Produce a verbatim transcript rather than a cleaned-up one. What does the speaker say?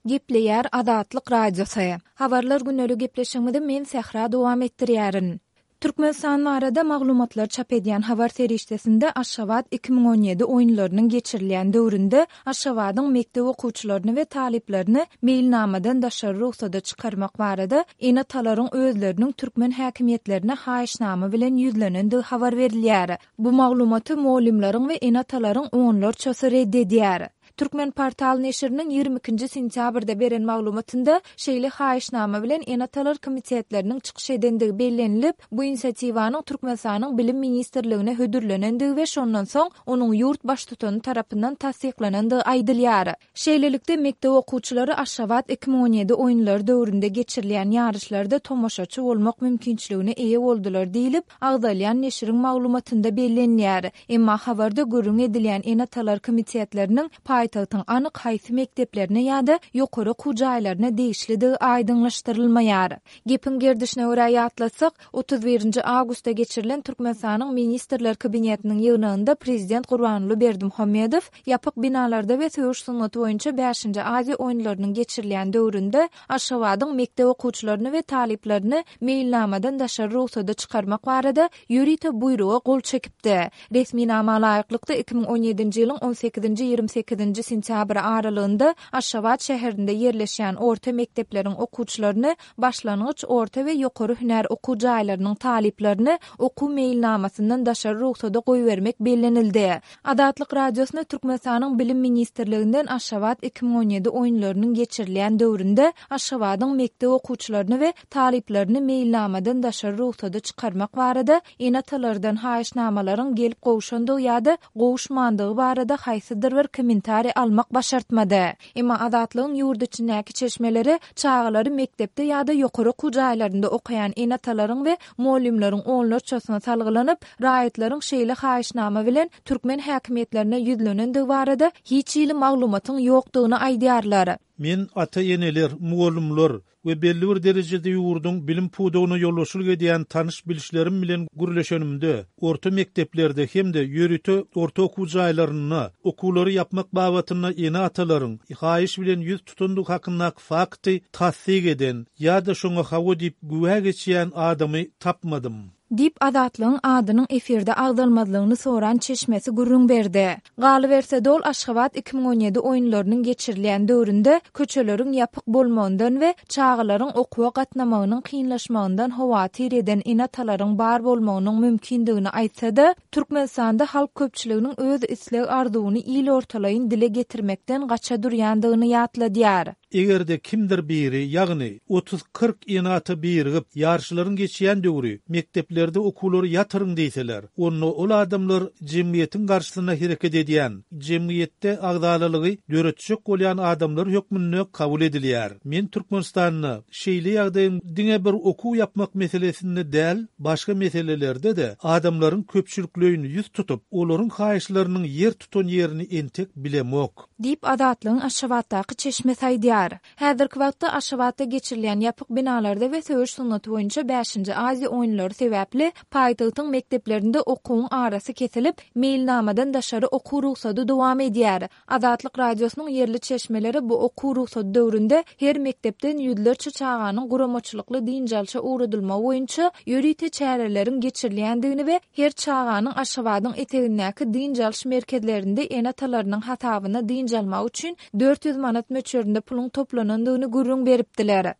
Gepleýär Azatlyk Radiosy. Habarlar gündelik gepleşigimizi men Sähra dowam etdirýärin. Türkmenistan barada maglumatlar çap edýän habar serişdesinde Aşgabat iki müň on ýedi oýunlarynyň geçirilýän döwründe Aşgabadyň mekdep okuwçylaryny we talyplaryny meýilnamadan daşary rugsada çykarmak barada ene-atalaryň özleriniň türkmen häkimiýetlerine haýyşnama bilen ýüzlenendigi habar berilýär. Bu maglumaty mugallymlaryň we ene-atalaryň onlarçasy red edýär. Türkmen portal neşiriniň ýigrimi ikinji sentýabrda beren maglumatynda şeýle haýyşnama bilen ene-atalar komitetleriniň çykyş edendigi bellenilip, bu inisiatiwanyň Türkmenistanyň Bilim ministrligine hödürlenendigi we şondan soň onuň ýurt baştutany tarapyndan tassyklanandygy aýdylýar. Şeýlelikde, mekdep okuwçylary Aşgabat iki müň on ýedi oýunlary döwründe geçirilýän ýaryşlarda tomaşaçy bolmak mümkinçiligine eýe boldular diýlip, agzalýan neşiriň maglumatynda bellenilýär. Emma habarda gürrüň edilýän ene-atalar komitetleriniň paýtagtyň anyk haýsy mekdeplerine ýa-da ýokary okuw jaýlaryna degişlidigi aýdyňlaşdyrylmaýar. Gepiň gerdişine görä ýatlatsak, otuz birinji awgustda geçirilen Türkmenistanyň Ministrler Kabinetiniň ýygnagynda Prezident Gurbanguly Berdimuhamedow ýapyk binalarda we söweş sungaty boýunça bäşinji Aziýa oýunlarynyň geçirilýän döwründe Aşgabadyň mekdep okuwçylaryny we talyplaryny meýilnamadan daşary rugsada çykarmak barada ýörite buýruga gol çekipdi. Resminama laýyklykda iki müň on ýedinji ýylyň on sekizinji ýigrimi sekizinji sentýabry aralygynda Aşgabat şäherinde ýerleşýän orta mekdepleriň okuwçylaryny, başlangyç, orta we ýokary hünär okuw jaýlarynyň talyplaryny okuw meýilnamasyndan daşary rugsada goýbermek bellenildi. Azatlyk Radiosyna Türkmenistanyň Bilim ministrliginden Aşgabat iki müň on ýedi oýunlarynyň geçirilýän döwründe Aşgabadyň mekdep okuwçylaryny we talyplaryny meýilnamadan daşary rugsada çykarmak barada ene-atalardan haýyşnamalaryň gelip gowşandygy ýa-da gowuşmandygy barada haýsydyr bir kommentariý almak başartmady. Emma Azatlygyň ýurt içindäki çeşmeleri çagalary mekdepde ýa-da ýokary okuw jaýlarynda okaýan ene-atalaryň we mugallymlaryň onlarçasyna salgylanyp, raýatlaryň şeýle haýyşnama bilen türkmen häkimiýetlerine ýüzlenendigi barada hiç hili maglumatyň ýokdugyny aýdýarlar. Men ata-eneler, mugallymlar we belli bir derejede ýurduň bilim pudagyna ýolbaşçylyk edýän tanyş-bilişlerim bilen gürleşenimde, orta mekdeplerde hem-de ýörite orta okuw jaýlarynda okuwlary ýapmak babatynda ene-atalaryň haýyş bilen ýüz tutandygy hakyndaky fakty tassyk eden ýa-da şoňa hawa diýip güwä geçýän adamy tapmadym. Diýip, Azatlygyň adynyň efirde agzalmazlygyny soran çeşmesi gürrüň berdi. Galyberse-de, ol Aşgabat iki müň on ýedi oýunlarynyň geçirilýän döwründe köçeleriň ýapyk bolmagyndan we çagalaryň okuwa gatnamagynyň kynlaşmagyndan howatyr eden ene-atalaryň bar bolmagynyň mümkindigini aýtsa-da, Türkmenistanda halk köpçüliginiň öz isleg-arzuwyny il ortalaýyn dile getirmekden gaça durýandygyny ýatladýar. Eger-de kimdir biri, ýagny otuz-kyrk ene-ata birigip, ýaryşlaryň geçýän döwri mekdeplerde okuwlary ýatyryň diýseler, onda ol adamlar jemgyýetiň garşysyna hereket edýän, jemgyýetde agzalalygy döretjek bolýan adamlar hökmünde kabul edilýär. Men Türkmenistanda şeýle ýagdaýyň diňe bir okuw ýapmak meselesinde däl, başga meselelerde-de adamlaryň köpçülikleýin ýüz tutup, olaryň haýyşlarynyň ýer tutan ýerini entek bilemok. Diýip, Azatlygyň Aşgabatdaky çeşmesi aýdýar. Häzirki wagtda Aşgabatda geçirilýän ýapyk binalarda we söweş sungaty boýunça bäşinji Aziýa oýunlary sebäpli paýtagtyň mekdeplerinde okuwyň arasy kesilip, meýilnamadan daşary okuw rugsady dowam edýär. Azatlyk Radiosynyň ýerli çeşmeleri bu okuw rugsady döwründe her mekdepden ýüzlerçe çaganyň guramaçylykly dynç alşa ugradylmagy boýunça ýörite çäreleriň geçirilýändigini we her çaganyň Aşgabadyň etegindäki dynç alyş merkezlerinde ene-atalarynyň hasabyna dynç almagy üçin dört ýüz manat möçberinde puluň toplanandygyny gürrüň beripdiler.